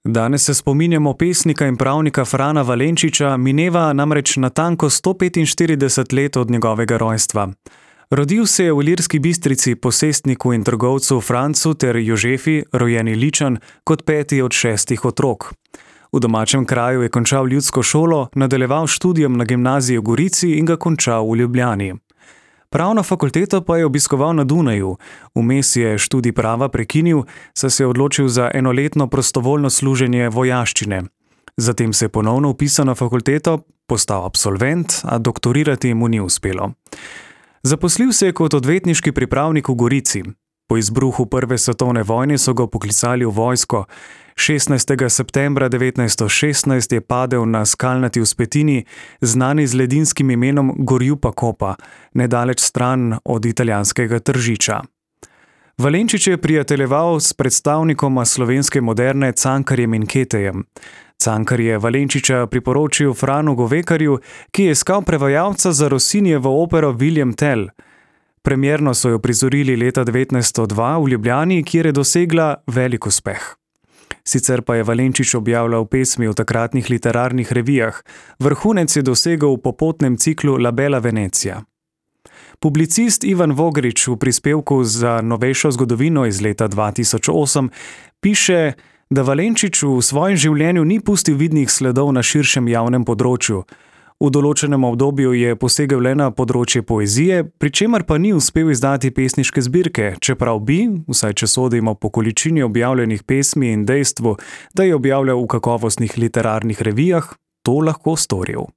Danes se spominjamo pesnika in pravnika Frana Valenčiča, mineva namreč natanko 145 let od njegovega rojstva. Rodil se je v Ilirski Bistrici posestniku in trgovcu Francu ter Jožefi, rojeni Ličan, kot peti od 6 otrok. V domačem kraju je končal ljudsko šolo, nadaljeval študijem na gimnaziji v Gorici in ga končal v Ljubljani. Pravno fakulteto pa je obiskoval na Dunaju, vmes je študij prava prekinil, saj se je odločil za enoletno prostovoljno služenje vojaščine. Zatem se je ponovno vpisal na fakulteto, postal absolvent, a doktorirati mu ni uspelo. Zaposlil se je kot odvetniški pripravnik v Gorici. Po izbruhu Prve svetovne vojne so ga poklicali v vojsko. 16. septembra 1916 je padel na skalnati vzpetini, znani z ledinskim imenom Gorjupa Kopa, nedaleč stran od italijanskega Tržiča. Valenčič je prijateljeval s predstavnikoma slovenske moderne Cankarjem in Ketejem. Cankar je Valenčiča priporočil Franu Govekarju, ki je iskal prevajalca za Rossinijevo opero William Tell. Premierno so jo prizorili leta 1902 v Ljubljani, kjer je dosegla velik uspeh. Sicer pa je Valenčič objavljal pesmi v takratnih literarnih revijah, vrhunec je dosegel v popotnem ciklu La Bella Venezia. Publicist Ivan Vogrič v prispevku za novejšo zgodovino iz leta 2008 piše, da Valenčič v svojem življenju ni pustil vidnih sledov na širšem javnem področju. V določenem obdobju je posegel le na področje poezije, pri čemer pa ni uspel izdati pesniške zbirke, čeprav bi, vsaj če sodimo po količini objavljenih pesmi in dejstvu, da je objavljal v kakovostnih literarnih revijah, to lahko storil.